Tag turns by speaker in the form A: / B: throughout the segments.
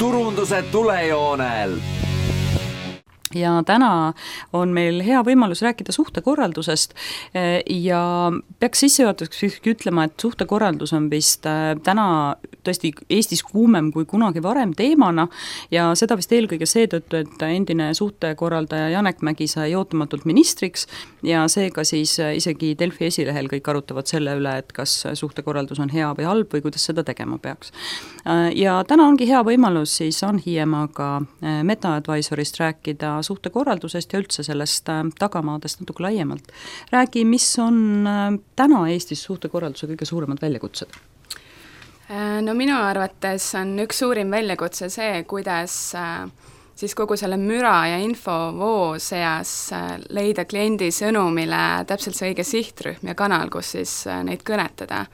A: turunduse tulejoonel.
B: Ja täna on meil hea võimalus rääkida suhtekorraldusest ja peaks sissejuhatuseks ütlema, et suhtekorraldus on vist täna tõesti Eestis kuumem kui kunagi varem teemana ja seda vist eelkõige seetõttu, et endine suhtekorraldaja Janek Mägi sai ootamatult ministriks ja seega siis isegi Delfi esilehel kõik arutavad selle üle, et kas suhtekorraldus on hea või halb või kuidas seda tegema peaks. Ja täna ongi hea võimalus siis Ann Hiiemaaga Meta Advisorist rääkida suhtekorraldusest ja üldse sellest tagamaadest natuke laiemalt. Räägi, mis on täna Eestis suhtekorralduse kõige suuremad väljakutsed?
C: No minu arvates on üks suurim väljakutse see, kuidas siis kogu selle müra ja infovoo seas leida kliendi sõnumile täpselt see õige sihtrühm ja kanal, kus siis neid kõnetada.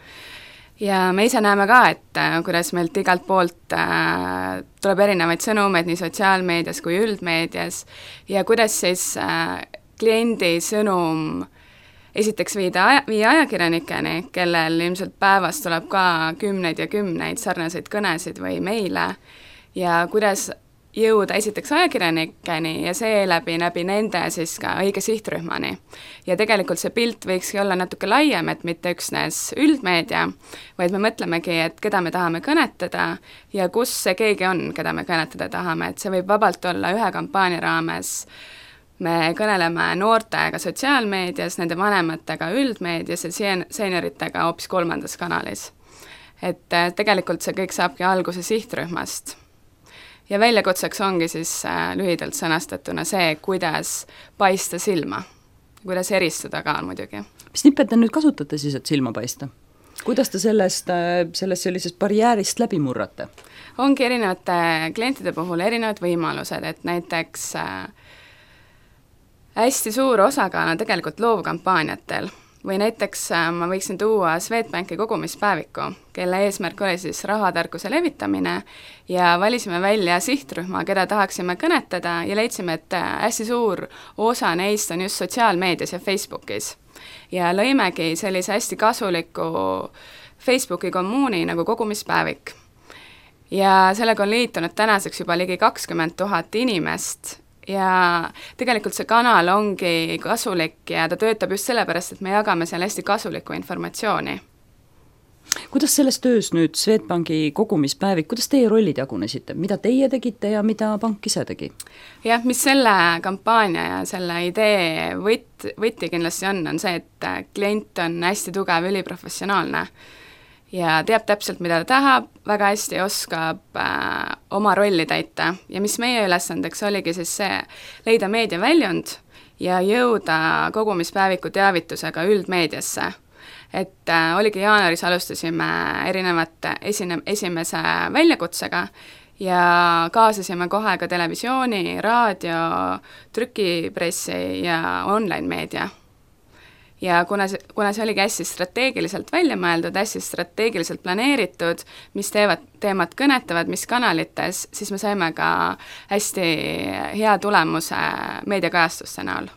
C: Ja me ise näeme ka, et kuidas meilt igalt poolt tuleb erinevaid sõnumeid nii sotsiaalmeedias kui üldmeedias ja kuidas siis kliendi sõnum esiteks viia ajakirjanikeni, kellel ilmselt päevas tuleb ka kümneid ja kümneid sarnaseid kõnesid või meile ja kuidas jõuda esiteks ajakirjanikeni ja seeläbi nende siis ka õige sihtrühmani. Ja tegelikult see pilt võikski olla natuke laiem, et mitte üksnes üldmeedia, vaid me mõtlemegi, et keda me tahame kõnetada ja kus see keegi on, keda me kõnetada tahame, et see võib vabalt olla ühe kampaania raames. Me kõneleme noortega sotsiaalmeedias, nende vanematega üldmeedias ja senioritega hoopis kolmandas kanalis. Et tegelikult see kõik saabki alguse sihtrühmast. Ja väljakutseks ongi siis lühidalt sõnastatuna see, kuidas paista silma, kuidas eristuda ka muidugi.
B: Mis nipet te nüüd kasutate siis, et silma paista? Kuidas te sellest sellisest barjäärist läbi murrate?
C: Ongi erinevate klientide puhul erinevad võimalused, et näiteks hästi suur osakaal on tegelikult loovkampaaniatel. Või näiteks ma võiksin tuua Swedbanki kogumispäeviku, kelle eesmärk oli siis rahatarkuse levitamine ja valisime välja sihtrühma, keda tahaksime kõnetada ja leidsime, et hästi suur osa neist on just sotsiaalmeedias ja Facebookis. Ja lõimegi sellise hästi kasuliku Facebooki kommuuni nagu kogumispäevik. Ja sellega on liitunud tänaseks juba ligi 20 000 inimest ja tegelikult see kanal ongi kasulik ja ta töötab just sellepärast, et me jagame seal hästi kasulikku informatsiooni.
B: Kuidas selles töös nüüd Swedbanki kogumispäevik, kuidas teie rollid jagunesite? Mida teie tegite ja mida pank ise tegi?
C: Jah, mis selle kampaania ja selle idee võtti kindlasti on see, et klient on hästi tugev, üliprofessionaalne ja teab täpselt, mida ta tahab, väga hästi oskab oma rolli täita ja mis meie ülesandeks oligi siis see leida meediaväljund ja jõuda kogumispäeviku teavitusega üldmeediasse. Et oligi jaanuaris alustasime erinevate esimese väljakutsega ja kaasasime kohe ka televisiooni, raadio, trükipressi ja online meedia. Ja kuna see oligi hästi strateegiliselt välja mõeldud, hästi strateegiliselt planeeritud, mis teemad kõnetavad, mis kanalites, siis me saime ka hästi hea tulemuse meediakajastuste näol.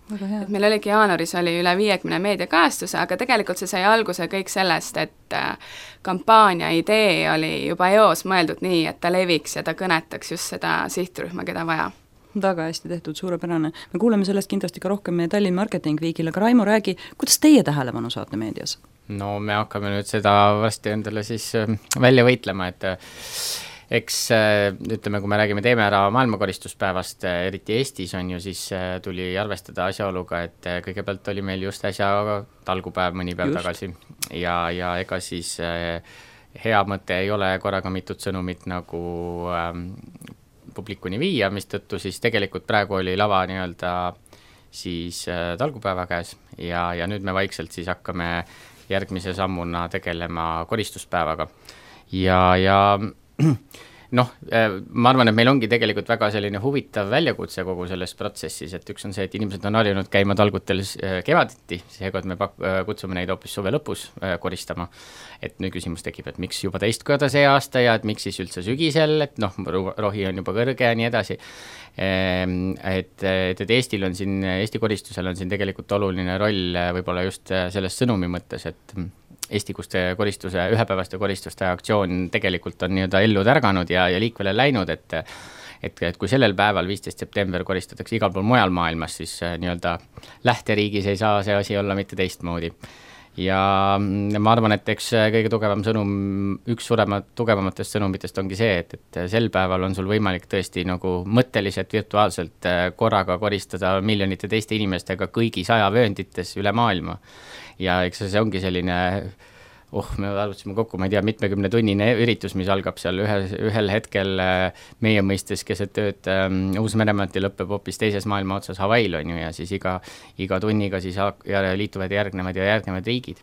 C: Et meil oligi jaanuaris oli üle 50 meediakajastuse, aga tegelikult see sai alguse kõik sellest, et kampaania idee oli juba eos mõeldud nii, et ta leviks ja ta kõnetaks just seda sihtrühma, keda vaja.
B: Väga hästi tehtud, suurepärane. Me kuuleme sellest kindlasti ka rohkem meie Tallinn Marketing Weekil, aga Raimo, räägi, kuidas teie tähelepanu saate meedias?
D: No me hakkame nüüd seda varsti endale siis välja võitlema, et eks ütleme, kui me räägime Teeme ära maailmakoristuspäevast, eriti Eestis on ju, siis tuli arvestada asjaoluga, et kõigepealt oli meil just äsja talgupäev mõni päev tagasi ja ega siis hea mõte ei ole korraga mitut sõnumit nagu publikuni viia, mistõttu siis tegelikult praegu oli lava nii-öelda siis talgupäeva käes ja nüüd me vaikselt siis hakkame järgmise sammuna tegelema koristuspäevaga ja noh, ma arvan, et meil ongi tegelikult väga selline huvitav väljakutse kogu selles protsessis, et üks on see, et inimesed on harjunud käima talgutel kevaditi, seega me kutsume neid hoopis suve lõpus koristama. Et nüüd küsimus tekib, et miks juba teist korda see aasta ja et miks siis üldse sügisel, et noh, rohi on juba kõrge ja nii edasi. Et Eestil on siin, Eesti koristusel on siin tegelikult oluline roll võib-olla just selles sõnumi mõttes, Eestikuste koristuse, ühepäevaste koristuste aktsioon tegelikult on nii-öelda ellu tärganud ja liikvele läinud, et kui sellel päeval, 15. september, koristatakse igal pool mujal maailmas, siis nii-öelda lähteriigis ei saa see asi olla mitte teistmoodi. Ja ma arvan, et eks kõige tugevam sõnum, üks tugevamatest sõnumitest ongi see, et sel päeval on sul võimalik tõesti nagu mõtteliselt, virtuaalselt korraga koristada miljonite teiste inimestega kõigi 100 vööndites üle maailma. Ja eks see ongi selline, me arvutasime kokku, ma ei tea, mitmekümne tunnine üritus, mis algab seal ühel hetkel meie mõistes keset tööd Uus-Meremaalt ja lõpeb hoopis teises maailma otsas Hawaii'l on ju, ja siis iga tunniga siis liituvad järgnevad riigid.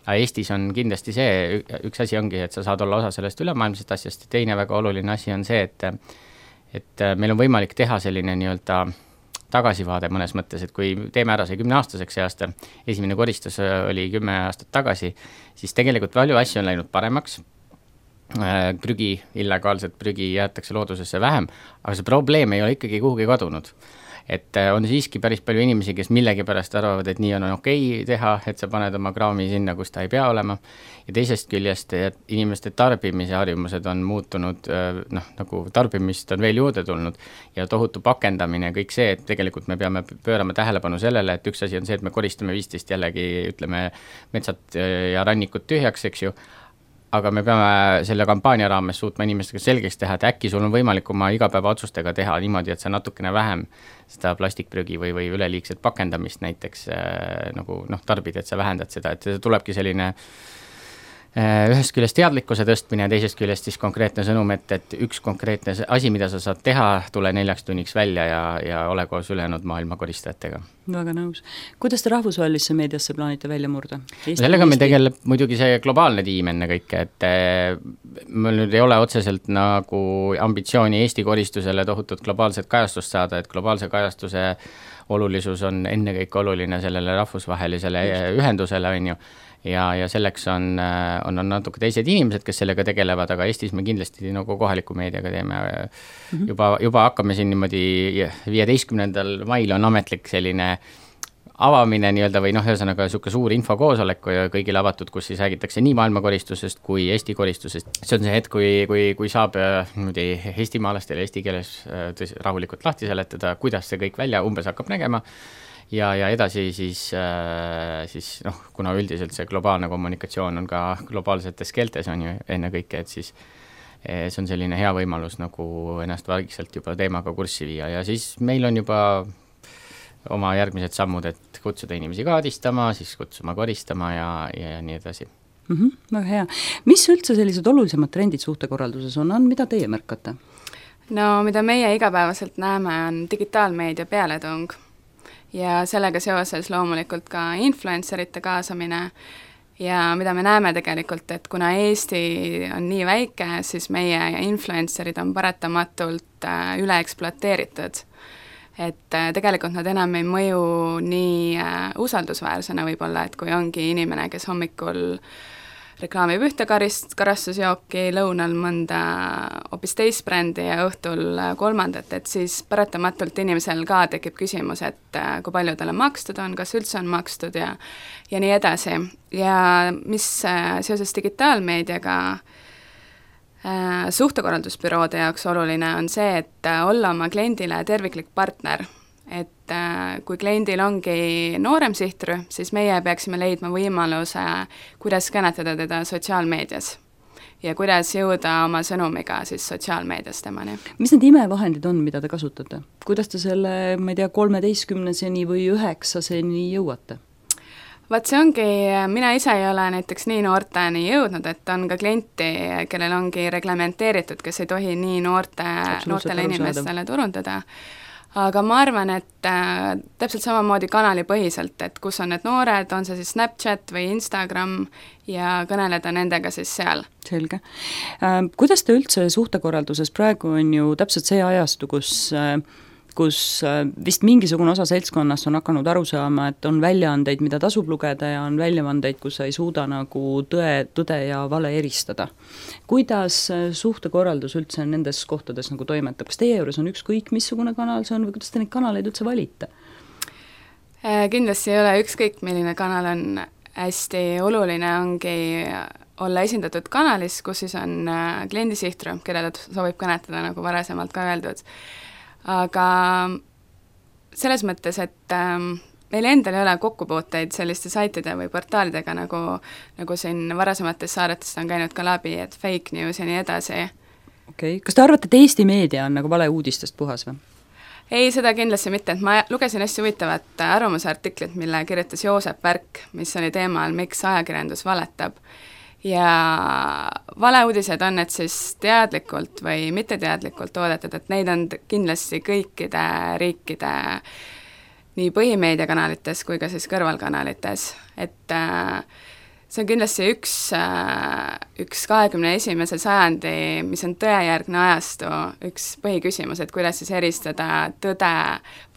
D: Ja Eestis on kindlasti see, üks asi ongi, et sa saad olla osa sellest ülemaailmsest asjast, ja teine väga oluline asi on see, et meil on võimalik teha selline nii-öelda tagasivaade mõnes mõttes, et kui teeme ära see 10-aastaseks see aasta, esimene koristus oli 10 aastat tagasi, siis tegelikult palju asju on läinud paremaks, illegaalset prügi jäetakse loodusesse vähem, aga see probleem ei ole ikkagi kuhugi kadunud. Et on siiski päris palju inimesi, kes millegipärast arvavad, et nii on okei teha, et sa paned oma kraami sinna, kus ta ei pea olema. Ja teisest küljest, et inimeste tarbimise harjumused on muutunud, nagu tarbimist on veel juurde tulnud ja tohutu pakendamine ja kõik see, et tegelikult me peame pöörama tähelepanu sellele, et üks asi on see, et me koristame 15 jällegi, ütleme, metsad ja rannikud tühjaks, eks ju, aga me peame selle kampaania raames suutma inimestega selgeks teha, et äkki sul on võimalik oma igapäeva otsustega teha niimoodi, et sa natukene vähem seda plastikprügi või üleliigset pakendamist näiteks nagu tarbid, et sa vähendad seda, et see tulebki selline ühest küljest teadlikkuse tõstmine ja teisest küljest siis konkreetne sõnum, et üks konkreetne asi, mida sa saad teha, tule 4 tunniks välja ja ole koos ülejäänud maailma koristajatega.
B: Väga nõus. Kuidas te rahvusvahelisse meediasse plaanite välja murda?
D: Sellega meil tegeleb muidugi see globaalne tiim enne kõike, et meil nüüd ei ole otseselt nagu ambitsiooni Eesti koristusele tohutut globaalset kajastust saada, et globaalse kajastuse olulisus on ennekõike oluline sellele rahvusvahelisele ühendusele, on ju. Ja selleks on natuke teised inimesed, kes sellega tegelevad, aga Eestis me kindlasti nagu kohaliku meediaga teeme. Juba hakkame siin niimoodi 15. mail on ametlik selline avamine nii-öelda või ühesõnaga suuke suur infokoosolek kõigile avatud, kus siis räägitakse nii maailmakoristusest kui Eesti koristusest. See on see hetk, kui saab eestimaalastele eesti keeles rahulikult lahti seletada, kuidas see kõik välja umbes hakkab nägema. Ja edasi siis kuna üldiselt see globaalne kommunikatsioon on ka globaalsetes keeltes on ju enne kõike, et siis see on selline hea võimalus nagu ennast vaikselt juba teemaga kurssi viia ja siis meil on juba oma järgmised sammud, et kutsuda inimesi kaadistama, siis kutsuma koristama ja nii edasi.
B: Väga hea. Mis üldse sellised olulisemad trendid suhtekorralduses on, mida teie märkate?
C: No mida meie igapäevaselt näeme, on digitaalmeedia pealetung. Ja sellega seoses loomulikult ka influencerite kaasamine ja mida me näeme tegelikult, et kuna Eesti on nii väike, siis meie influencerid on paratamatult üle ekspluateeritud. Et tegelikult nad enam ei mõju nii usaldusväärsena võib-olla, et kui ongi inimene, kes hommikul reklaamib ühte karastusjooki, lõunal mõnda hoopis teist brändi ja õhtul kolmandat, et siis paratamatult inimesel ka tekib küsimus, et kui palju talle makstud on, kas üldse on makstud ja nii edasi. Ja mis seoses digitaalmeediaga suhtekorraldusbüroode jaoks oluline on see, et olla oma kliendile terviklik partner. Et kui kliendil ongi noorem sihtrühm, siis meie peaksime leidma võimaluse, kuidas kõnetada teda sotsiaalmeedias ja kuidas jõuda oma sõnumiga siis sotsiaalmeedias temani.
B: Mis need imevahendid on, mida te kasutate? Kuidas te selle, ma ei tea, 13-seni või 9-seni jõuate?
C: Vaat see ongi, mina ise ei ole näiteks nii noorteni jõudnud, et on ka klienti, kellel ongi reglementeeritud, kes ei tohi nii noortele inimestele turundada. Aga ma arvan, et täpselt samamoodi kanalipõhiselt, et kus on need noored, on see siis Snapchat või Instagram ja kõneleda nendega siis seal.
B: Selge. Kuidas te üldse suhtekorralduses praegu on ju täpselt see ajastu, kus vist mingisugune osa seltskonnast on hakanud aru saama, et on väljaandeid, mida tasub lugeda ja on väljaandeid, kus sa ei suuda nagu tõde ja vale eristada. Kuidas suhtekorraldus üldse nendes kohtades nagu toimetab? Kas teie juures on ükskõik, missugune kanal see on või kuidas te neid kanaleid üldse valite?
C: Kindlasti ei ole ükskõik, milline kanal on. hästi oluline ongi olla esindatud kanalis, kus siis on kliendi sihtrühm, keda ta soovib kõnetada, nagu varasemalt ka öeldud. Aga selles mõttes, et meil endal ei ole kokkupuuteid selliste saitide või portaalidega, nagu siin varasemates saadetes on käinud ka läbi, et fake news ja nii edasi.
B: Okei. Kas te arvate, et Eesti meedia on nagu valeuudistest puhas või?
C: Ei, seda kindlasti mitte, et ma lugesin hästi huvitavat arvamusartiklit, mille kirjutas Joosep Värk, mis oli teemal, miks ajakirjandus valetab. Ja valeuudised on need siis teadlikult või mitteteadlikult toodetud, et neid on kindlasti kõikide riikide nii põhimeediakanalites kui ka siis kõrvalkanalites, et see on kindlasti üks 21. sajandi, mis on tõejärgne ajastu, üks põhiküsimus, et kuidas siis eristada tõde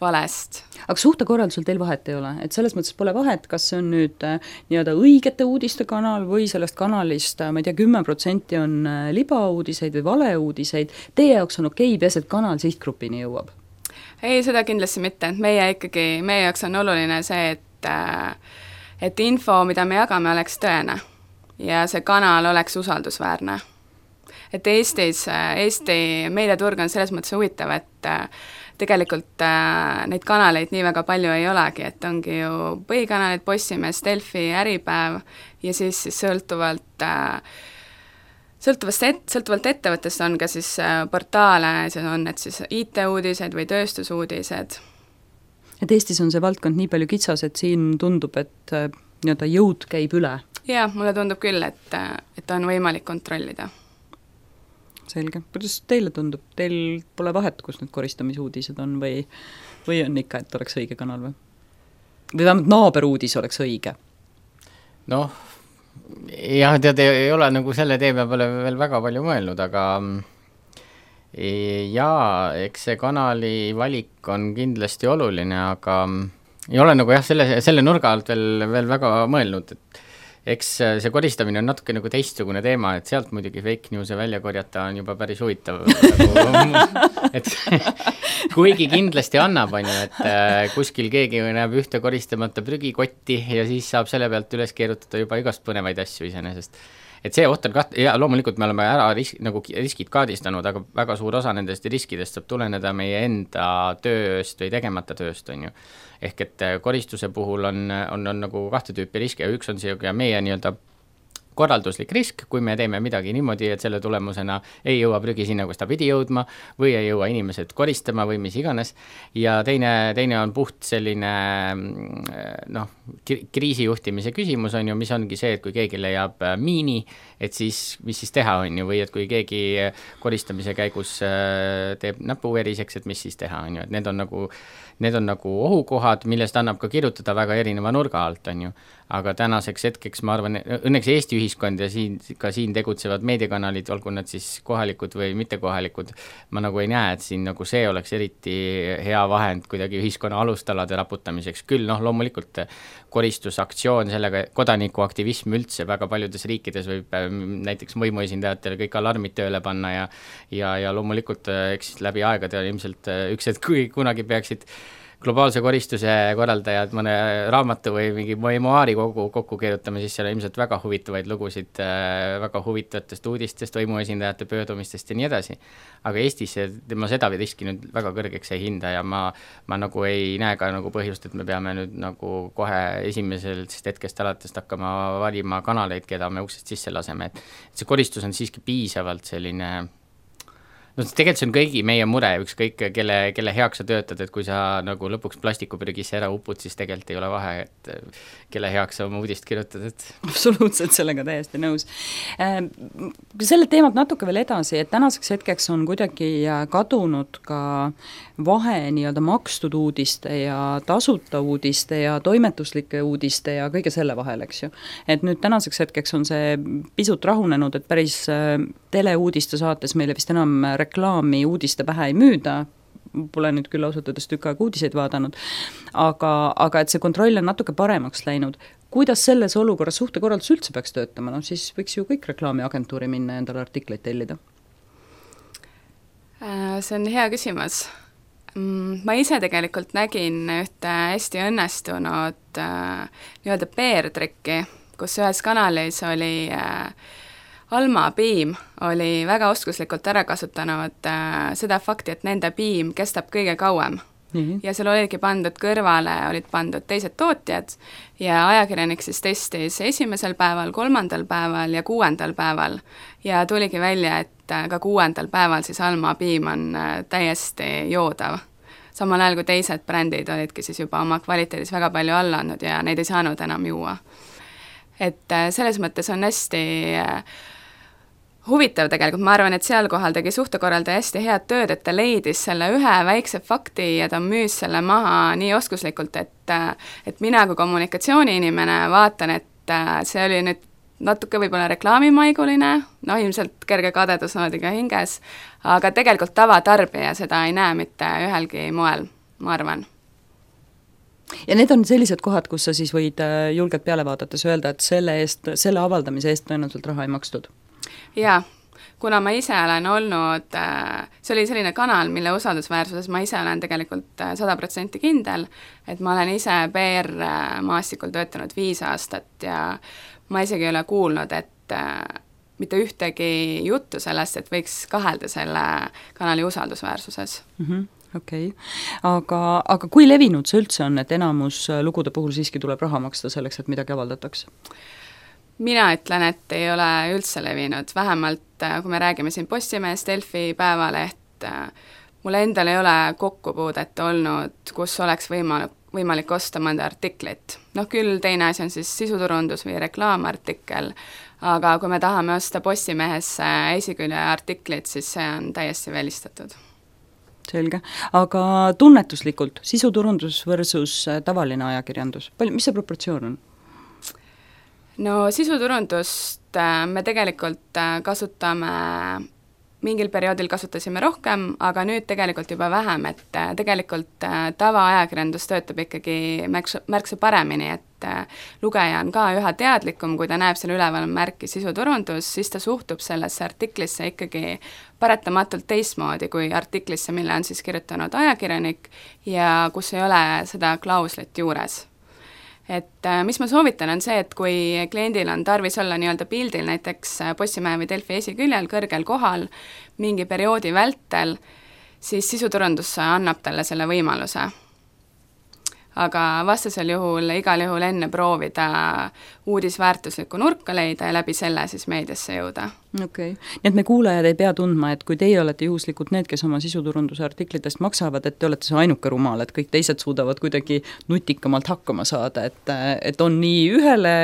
C: valest.
B: Aga suhtekorraldusel teil vahet ei ole, et selles mõttes pole vahet, kas see on nüüd nii-öelda õigete uudiste kanal või sellest kanalist, ma ei tea, 10% on libauudiseid või valeuudiseid, teie jaoks on okei, peas, et kanal sihtgrupini jõuab?
C: Ei, seda kindlasti mitte, et meie jaoks on oluline see, et info, mida me jagame, oleks tõene ja see kanal oleks usaldusväärne. Et Eesti meediaturg on selles mõttes huvitav, et tegelikult neid kanaleid nii väga palju ei olegi, et ongi ju põhikanalid, Postimees, Delfi, Äripäev ja siis sõltuvalt ettevõttest on ka siis portaale, siis on need siis IT-uudised või tööstusuudised.
B: Et Eestis on see valdkond nii palju kitsas, et siin tundub, et nii-öelda jõud käib üle?
C: Jaa, mulle tundub küll, et on võimalik kontrollida.
B: Selge. Kuidas teile tundub? Teil pole vahet, kus need koristamisuudised on või on ikka, et oleks õige kanal või? Või vähemalt naaberuudis oleks õige?
D: Noh, jah, tead, ei ole nagu selle teeme peale veel väga palju mõelnud, aga jaa, eks see kanali valik on kindlasti oluline, aga ei ole nagu jah, selle nurga alt veel väga mõelnud, et eks see koristamine on natuke nagu teistsugune teema, et sealt muidugi fake news'e välja korjata on juba päris huvitav. Et kuigi kindlasti annab, on ju, et kuskil keegi näeb ühte koristamata prügikotti ja siis saab selle pealt üles keerutada juba igast põnevaid asju iseenesest. Et see oht on ja loomulikult me oleme ära riskid kaardistanud, aga väga suur osa nendest riskidest saab tuleneda meie enda tööst või tegemata tööst, on ju. Ehk et koristuse puhul on nagu kahte tüüpi riske ja üks on see meie nii-öelda korralduslik risk, kui me teeme midagi niimoodi, et selle tulemusena ei jõua prügi sinna, kus ta pidi jõudma või ei jõua inimesed koristama või mis iganes. Ja teine on puht selline kriisijuhtimise küsimus on ju, mis ongi see, et kui keegi leiab miini, et siis mis siis teha on ju, või et kui keegi koristamise käigus teeb näpu veriseks, et mis siis teha on ju, et need on nagu ohukohad, millest annab ka kirjutada väga erineva nurga alt on ju. Aga tänaseks hetkeks ma arvan, õnneks Eesti ühiskond ja siin tegutsevad meediakanalid, olgu nad siis kohalikud või mittekohalikud, ma nagu ei näe, et siin nagu see oleks eriti hea vahend kuidagi ühiskonna alustalade raputamiseks. Küll loomulikult koristusaktsioon, sellega kodanikuaktivism üldse väga paljudes riikides võib näiteks võimuesindajatele kõik alarmid tööle panna ja loomulikult eks läbi aegade ilmselt üks hetk, kui kunagi peaksid globaalse koristuse korraldajad mõne raamatu või mingi memoaari kokku keerutame, siis seal on ilmselt väga huvitavaid lugusid, väga huvitavatest uudistest, võimuesindajate pöördumistest ja nii edasi. Aga Eestis ma seda riski nüüd väga kõrgeks ei hinda ja ma nagu ei näe ka nagu põhjust, et me peame nüüd nagu kohe esimesest hetkest alates hakkama valima kanaleid, keda me uksest sisse laseme. Et see koristus on siiski piisavalt selline tegelikult see on kõigi meie mure, ükskõik kelle heaks sa töötad, et kui sa nagu lõpuks plastikupürgisse ära upud, siis tegelikult ei ole vahe, et kelle heaks sa oma uudist kirjutad.
B: Absoluutselt, sellega täiesti nõus. Selle teemalt natuke veel edasi, et tänaseks hetkeks on kuidagi kadunud ka vahe nii-öelda makstud uudiste ja tasuta uudiste ja toimetuslike uudiste ja kõige selle vahel, eks ju. Et nüüd tänaseks hetkeks on see pisut rahunenud, et päris teleuudiste saates meile vist enam reklaami uudiste pähe ei müüda, pole nüüd küll ausalt öeldes tükk aega uudiseid vaadanud, aga et see kontroll on natuke paremaks läinud. Kuidas selles olukorras suhtekorraldus üldse peaks töötama? No siis võiks ju kõik reklaamiagentuuri minna ja endale artikleid tellida.
C: See on hea küsimus. Ma ise tegelikult nägin ühte hästi õnnestunud nii-öelda PR-trikki, kus ühes kanalis oli Alma Piim oli väga oskuslikult ära kasutanud seda fakti, et nende piim kestab kõige kauem. Ja seal olidki pandud kõrvale, olid pandud teised tootjad ja ajakirjanik siis testis esimesel päeval, 3. päeval ja 6. päeval ja tuligi välja, et ka 6. päeval siis Alma piim on täiesti joodav. Samal ajal kui teised brändid olidki siis juba oma kvaliteedis väga palju alla andnud ja neid ei saanud enam juua. Et selles mõttes on hästi huvitav tegelikult, ma arvan, et seal kohal tegi suhtekorraldaja hästi head tööd, et ta leidis selle ühe väikse fakti ja ta müüs selle maha nii oskuslikult, et mina kui kommunikatsiooniinimene vaatan, et see oli nüüd natuke võib-olla reklaamimaiguline, ilmselt kerge kadedusnoodiga hinges, aga tegelikult tavatarbija seda ei näe mitte ühelgi moel, ma arvan.
B: Ja need on sellised kohad, kus sa siis võid julgelt peale vaadates öelda, et selle avaldamise eest tõenäoliselt raha ei makstud?
C: Jaa, kuna ma ise olen olnud, see oli selline kanal, mille usaldusväärsuses ma ise olen tegelikult 100% kindel, et ma olen ise PR-maastikul töötanud 5 aastat ja ma isegi ei ole kuulnud, et mitte ühtegi juttu sellest, et võiks kahelda selle kanali usaldusväärsuses.
B: Okei. Aga kui levinud see üldse on, et enamus lugude puhul siiski tuleb raha maksta selleks, et midagi avaldatakse?
C: Mina ütlen, et ei ole üldse levinud, vähemalt kui me räägime siin Postimehest, Delfi, Päevaleht, mul endal ei ole kokkupuudet olnud, kus oleks võimalik osta mõnda artiklit. Küll teine asi on siis sisuturundus või reklaamartikkel, aga kui me tahame osta Postimehesse esikülje artiklit, siis see on täiesti välistatud.
B: Selge, aga tunnetuslikult sisuturundus versus tavaline ajakirjandus, mis see proportsioon on?
C: No sisuturundust me tegelikult kasutame, mingil perioodil kasutasime rohkem, aga nüüd tegelikult juba vähem, et tegelikult tavaajakirjandus töötab ikkagi märksa paremini, et lugeja on ka üha teadlikum, kui ta näeb selle üleval märki sisuturundus, siis ta suhtub sellesse artiklisse ikkagi paratamatult teistmoodi kui artiklisse, mille on siis kirjutanud ajakirjanik ja kus ei ole seda klauslit juures. Et mis ma soovitan on see, et kui kliendil on tarvis olla nii-öelda pildil näiteks Postimehe või Delfi esiküljel kõrgel kohal mingi perioodi vältel, siis sisuturundus annab talle selle võimaluse. Aga vastasel juhul igal juhul enne proovida uudisväärtuslikku nurka leida ja läbi selle siis meediasse jõuda.
B: Okei. Nii et me kuulajad ei pea tundma, et kui teie olete juhuslikult need, kes oma sisuturunduse artiklitest maksavad, et te olete see ainuke rumal, et kõik teised suudavad kuidagi nutikamalt hakkama saada, et on nii ühele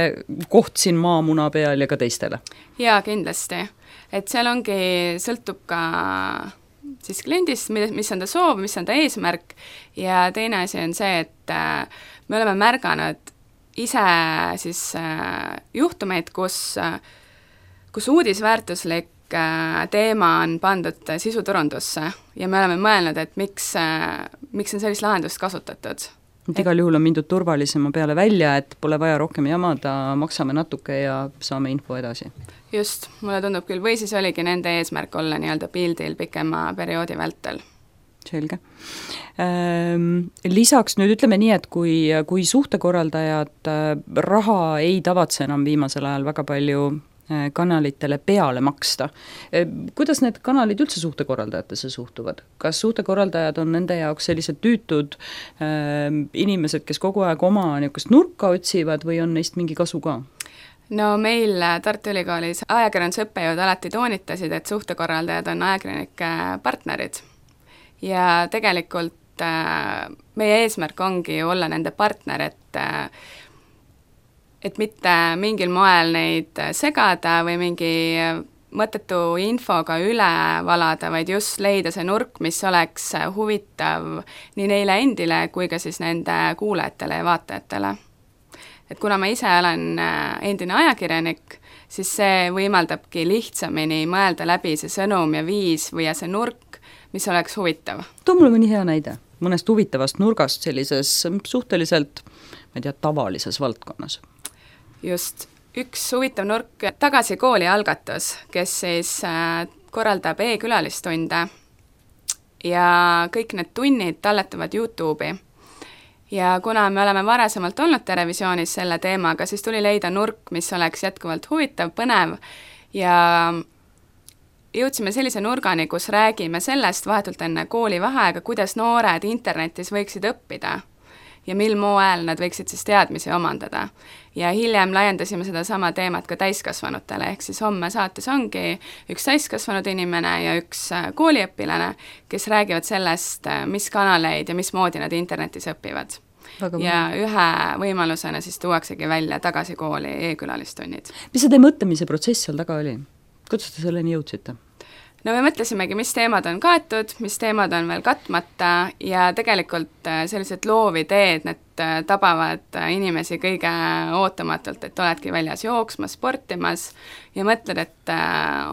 B: koht siin maamuna peal ja ka teistele? Jaa,
C: kindlasti. Et seal ongi, sõltub ka siis kliendist, mis on ta soov, mis on ta eesmärk ja teine asi on see, et me oleme märganud ise siis juhtumeid, kus uudisväärtuslik teema on pandud sisuturundusse ja me oleme mõelnud, et miks on sellist lahendust kasutatud.
B: Igal juhul on mindud turvalisema peale välja, et pole vaja rohkem jamada, maksame natuke ja saame info edasi.
C: Just, mulle tundub küll, või siis oligi nende eesmärk olla nii-öelda pildil pikema perioodi vältel.
B: Selge. Lisaks nüüd ütleme nii, et kui suhtekorraldajad raha ei tavatse enam viimasel ajal väga palju kanalitele peale maksta. Kuidas need kanalid üldse suhtekorraldajatesse suhtuvad? Kas suhtekorraldajad on nende jaoks sellised tüütud inimesed, kes kogu aeg oma niisugust nurka otsivad või on neist mingi kasu ka?
C: No meil Tartu Ülikoolis ajakirjandusõppejõud alati toonitasid, et suhtekorraldajad on ajakirjanike partnerid. Ja tegelikult meie eesmärk ongi olla nende partner, et mitte mingil moel neid segada või mingi mõttetu infoga üle valada, vaid just leida see nurk, mis oleks huvitav nii neile endile kui ka siis nende kuulajatele ja vaatajatele. Et kuna ma ise olen endine ajakirjanik, siis see võimaldabki lihtsamini mõelda läbi see sõnum ja viis või see nurk, mis oleks huvitav.
B: Too mulle mõni hea näide mõnest huvitavast nurgast sellises suhteliselt, ma ei tea, tavalises valdkonnas.
C: Just, üks huvitav nurk, Tagasi kooli algatus, kes siis korraldab e-külalistunde ja kõik need tunnid talletuvad YouTube'i. Ja kuna me oleme varasemalt olnud Terevisioonis selle teemaga, siis tuli leida nurk, mis oleks jätkuvalt huvitav, põnev ja jõudsime sellise nurgani, kus räägime sellest vahetult enne koolivaheaega, kuidas noored internetis võiksid õppida ja mil moel nad võiksid siis teadmisi omandada. Ja hiljem laiendasime seda sama teemat ka täiskasvanutele, ehk siis homme saates ongi üks täiskasvanud inimene ja üks kooliõpilane, kes räägivad sellest, mis kanaleid ja mismoodi nad internetis õpivad. Ja ühe võimalusena siis tuuaksegi välja tagasi kooli e-külalistunnid.
B: Mis see teie mõtlemise protsess seal taga oli? Kuidas te selleni jõudsite?
C: No me mõtlesimegi, mis teemad on kaetud, mis teemad on veel katmata ja tegelikult sellised loovideed, need tabavad inimesi kõige ootamatult, et oledki väljas jooksmas, sportimas ja mõtled, et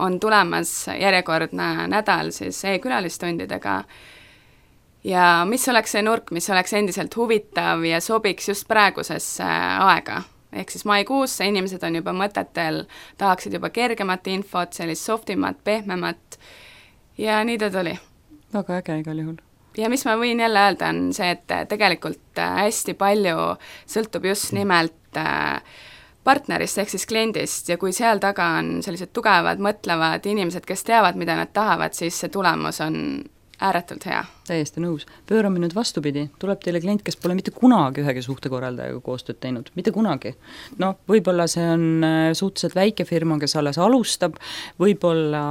C: on tulemas järjekordne nädal siis e-külalistundidega ja mis oleks see nurk, mis oleks endiselt huvitav ja sobiks just praegusesse aega. Ehk siis maikuusse inimesed on juba mõtetel, tahaksid juba kergemat infot, sellist softimat, pehmemat ja nii ta tuli.
B: Väga äge igal juhul.
C: Ja mis ma võin jälle öelda, on see, et tegelikult hästi palju sõltub just nimelt partnerist ehk siis kliendist ja kui seal taga on sellised tugevad, mõtlevad inimesed, kes teavad, mida nad tahavad, siis see tulemus on ääretult hea.
B: Täiesti nõus. Pöörame nüüd vastupidi. Tuleb teile klient, kes pole mitte kunagi ühegi suhtekorraldajaga koostööd teinud. Mitte kunagi. No, võib-olla see on suhteliselt väike firma, kes alles alustab, võib-olla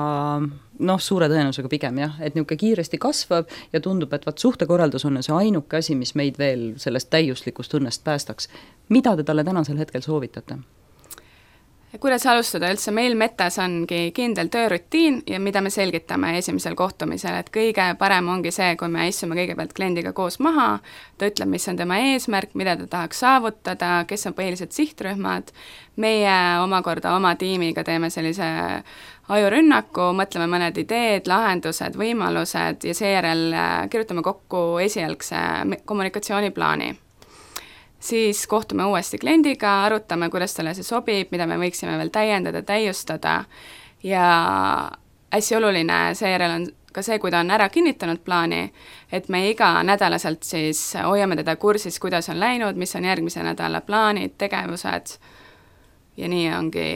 B: suure tõenäosusega pigem jah, et niisugune kiiresti kasvab ja tundub, et suhtekorraldus on see ainuke asi, mis meid veel sellest täiuslikust õnnest päästaks. Mida te talle tänasel hetkel soovitate?
C: Kuidas alustada üldse, meil Metas ongi kindel töörutiin ja mida me selgitame esimesel kohtumisel, et kõige parem ongi see, kui me istume kõigepealt kliendiga koos maha, ta ütleb, mis on tema eesmärk, mida ta tahaks saavutada, kes on põhilised sihtrühmad, meie omakorda oma tiimiga teeme sellise ajurünnaku, mõtleme mõned ideed, lahendused, võimalused ja seejärel kirjutame kokku esialgse kommunikatsiooniplaani. Siis kohtume uuesti kliendiga, arutame, kuidas talle see sobib, mida me võiksime veel täiendada, täiustada ja hästi oluline seejärel on ka see, kui ta on ära kinnitanud plaani, et me iga nädalaselt siis hoiame teda kursis, kuidas on läinud, mis on järgmise nädala plaanid, tegevused ja nii ongi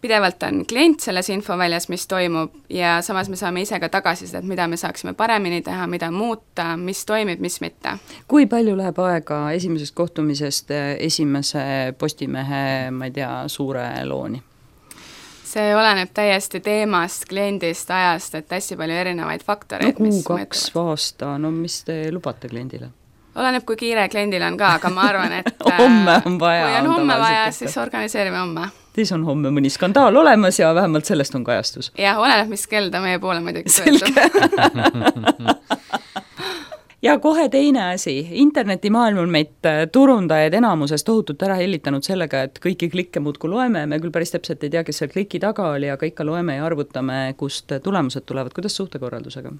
C: pidevalt on klient selles infoväljas, mis toimub ja samas me saame ise ka tagasisidet, mida me saaksime paremini teha, mida muuta, mis toimib, mis mitte.
B: Kui palju läheb aega esimesest kohtumisest esimese Postimehe, ma ei tea, suure looni?
C: See oleneb täiesti teemast, kliendist, ajast, et hästi palju erinevaid faktoreid.
B: No kuu-2 aasta, no mis te lubate kliendile?
C: Oleneb, kui kiire kliendil on ka, aga ma arvan, et
B: homme on vaja.
C: Kui on homme vaja, siis organiseerime homme.
B: Siis on homme mõni skandaal olemas ja vähemalt sellest on kajastus.
C: Jah, oleneb, mis kell ta meie poole muidugi
B: pöördub. Ja kohe teine asi, internetimaailm on meid turundajaid enamuses tohutult ära hellitanud sellega, et kõiki klikke muudkui loeme, me küll päris täpselt ei tea, kes seal kliki taga oli, aga ikka loeme ja arvutame, kust tulemused tulevad. Kuidas suhtekorraldusega?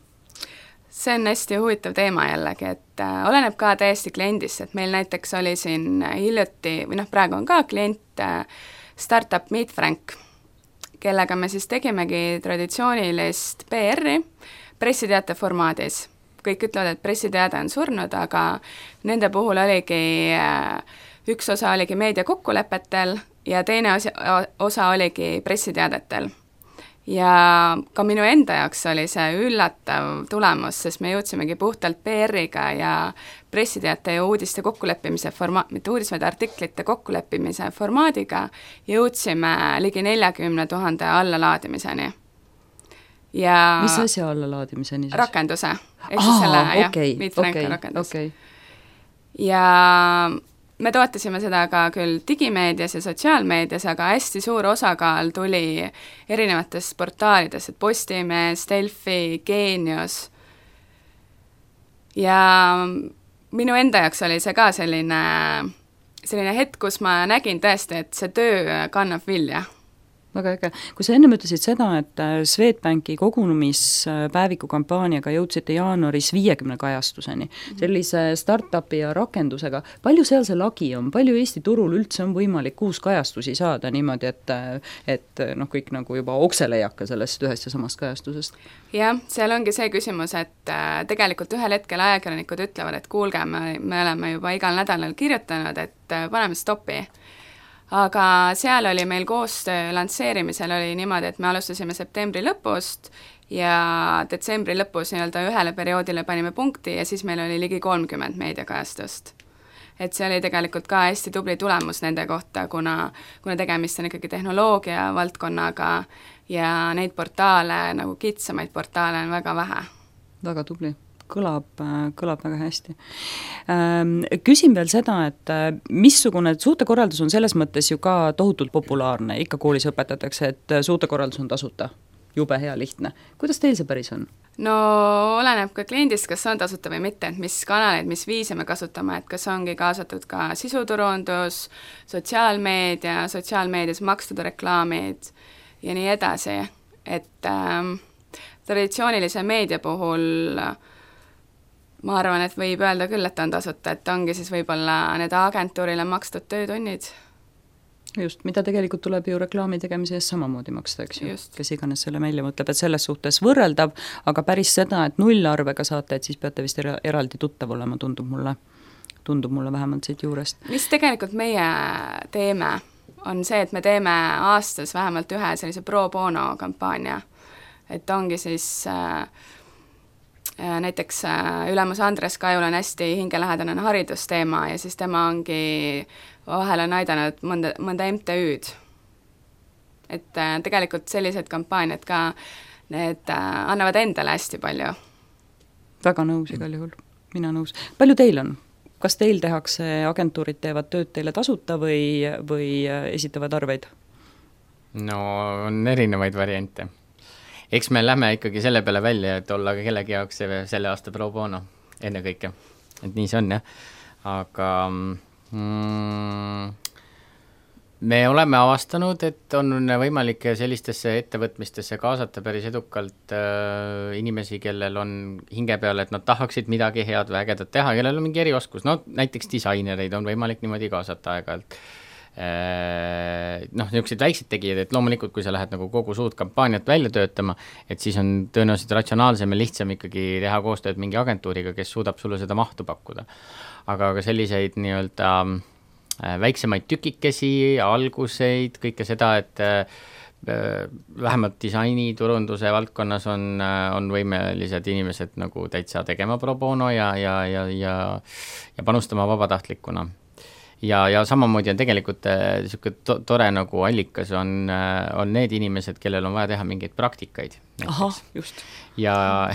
C: See on hästi huvitav teema jällegi, et oleneb ka täiesti kliendist, et meil näiteks oli siin hiljuti, või praegu on ka klient Startup Meet Frank, kellega me siis tegimegi traditsioonilist PR-i pressiteate formaadis. Kõik ütlevad, et pressiteade on surnud, aga nende puhul oligi, üks osa oligi meediakokkulepetel ja teine osa oligi pressiteadetel. Ja ka minu enda jaoks oli see üllatav tulemus, sest me jõudsimegi puhtalt PR-iga ja pressiteate ja uudiste kokkuleppimise mitte uudis, vaid artiklite kokkuleppimise formaadiga jõudsime ligi 40 000 allalaadimiseni. Ja
B: mis asja allalaadimiseni siis?
C: Rakenduse. Rakendus. Ja me toetasime seda ka küll digimeedias ja sotsiaalmeedias, aga hästi suur osakaal tuli erinevatest portaalidest, et Postimees, Delfi, Geenius. Ja minu enda jaoks oli see ka selline hetk, kus ma nägin tõesti, et see töö kannab vilja.
B: väga äge. Kui sa ennem ütlesid seda, et Swedbanki kogunemispäeviku kampaaniaga jõudsite jaanuaris 50 kajastuseni, sellise startupi ja rakendusega, palju seal see lagi on, palju Eesti turul üldse on võimalik 6 kajastusi saada niimoodi, et kõik nagu juba oksele ei hakka sellest ühest ja samast kajastusest?
C: Jah, seal ongi see küsimus, et tegelikult ühel hetkel ajakirjanikud ütlevad, et kuulge, me oleme juba igal nädalal kirjutanud, et paneme stoppi. Aga seal oli meil koostöö lansseerimisel oli niimoodi, et me alustasime septembri lõpust ja detsembri lõpus nii-öelda ühele perioodile panime punkti ja siis meil oli ligi 30 meediakajastust. Et see oli tegelikult ka hästi tubli tulemus nende kohta, kuna tegemist on ikkagi tehnoloogia valdkonnaga ja neid portaale, nagu kitsamaid portaale on väga vähe.
B: Väga tubli. Kõlab väga hästi. Küsin veel seda, et missugune suhtekorraldus on selles mõttes ju ka tohutult populaarne, ikka koolis õpetatakse, et suhtekorraldus on tasuta, jube hea lihtne. Kuidas teil see päris on?
C: No oleneb ka kliendist, kas on tasuta või mitte, et mis kanaleid, mis viise me kasutame, et kas ongi kaasatud ka sisuturundus, sotsiaalmeedias makstud reklaamid ja nii edasi, et traditsioonilise meedia puhul ma arvan, et võib öelda küll, et on tasuta, et ongi siis võib-olla need agentuurile makstud töötunnid.
B: Just, mida tegelikult tuleb ju reklaami tegemise eest samamoodi maksta, eks ju, kes iganes selle välja mõtleb, et selles suhtes võrreldav, aga päris seda, et nullarvega saate, et siis peate vist eraldi tuttav olema, tundub mulle vähemalt siit juurest.
C: Mis tegelikult meie teeme, on see, et me teeme aastas vähemalt ühe sellise pro bono kampaania, et ongi siis näiteks ülemus Andres Kajul on hästi hingelähedane haridusteema ja siis tema ongi vahel on aidanud mõnda MTÜ-d. Et tegelikult sellised kampaaniad ka, need annavad endale hästi palju.
B: Väga nõus igal juhul, mina nõus. Palju teil on? Kas teil tehakse, agentuurid teevad tööd teile tasuta või esitavad arveid?
D: No on erinevaid variante. Eks me lähme ikkagi selle peale välja, et olla kellegi jaoks selle aasta pro bono enne kõike. Et nii see on, jah. Aga me oleme avastanud, et on võimalik sellistesse ettevõtmistesse kaasata päris edukalt inimesi, kellel on hinge peal, et nad tahaksid midagi head või ägedat teha, kellel on mingi erioskus. No näiteks disainereid on võimalik niimoodi kaasata aeg-ajalt. Niisugused väiksed tegijad, et loomulikult, kui sa lähed nagu kogu suud kampaaniat välja töötama, et siis on tõenäoliselt ratsionaalsem ja lihtsam ikkagi teha koostööd mingi agentuuriga, kes suudab sulle seda mahtu pakkuda. Aga selliseid nii-öelda väiksemaid tükikesi, alguseid, kõike seda, et vähemalt disaini, turunduse valdkonnas on võimelised inimesed nagu täitsa tegema pro bono ja panustama vabatahtlikuna. Ja samamoodi on tegelikult tore nagu allikas on need inimesed, kellel on vaja teha mingeid praktikaid.
B: Aha, just.
D: Ja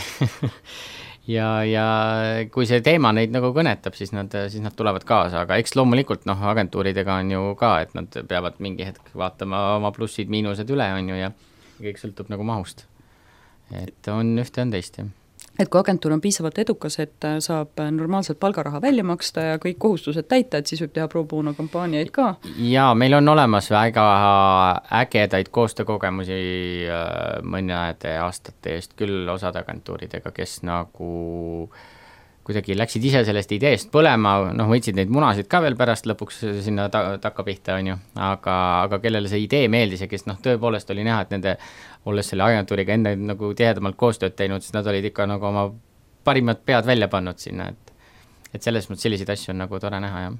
D: kui see teema neid nagu kõnetab, siis nad tulevad kaasa, aga eks loomulikult agentuuridega on ju ka, et nad peavad mingi hetk vaatama oma plussid, miinused üle on ju ja kõik sõltub nagu mahust. Et on ühte on teist, jah.
B: Et kui agentuur on piisavalt edukas, et saab normaalselt palgaraha välja maksta ja kõik kohustused täita, et siis võib teha pro bono kampaaniaid ka?
D: Jaa, meil on olemas väga ägedaid koostöökogemusi mõnede aastate eest küll osad agentuuridega, kes nagu kuidagi läksid ise sellest ideest põlema, võtsid neid munasid ka veel pärast lõpuks sinna takka pihta, on ju, aga kellele see idee meeldis ja kes tõepoolest oli näha, et nende olles selle agentuuriga enne nagu tihedamalt koostööd teinud, siis nad olid ikka nagu oma parimad pead välja pannud sinna, et selles mõttes selliseid asju on nagu tore näha, jah.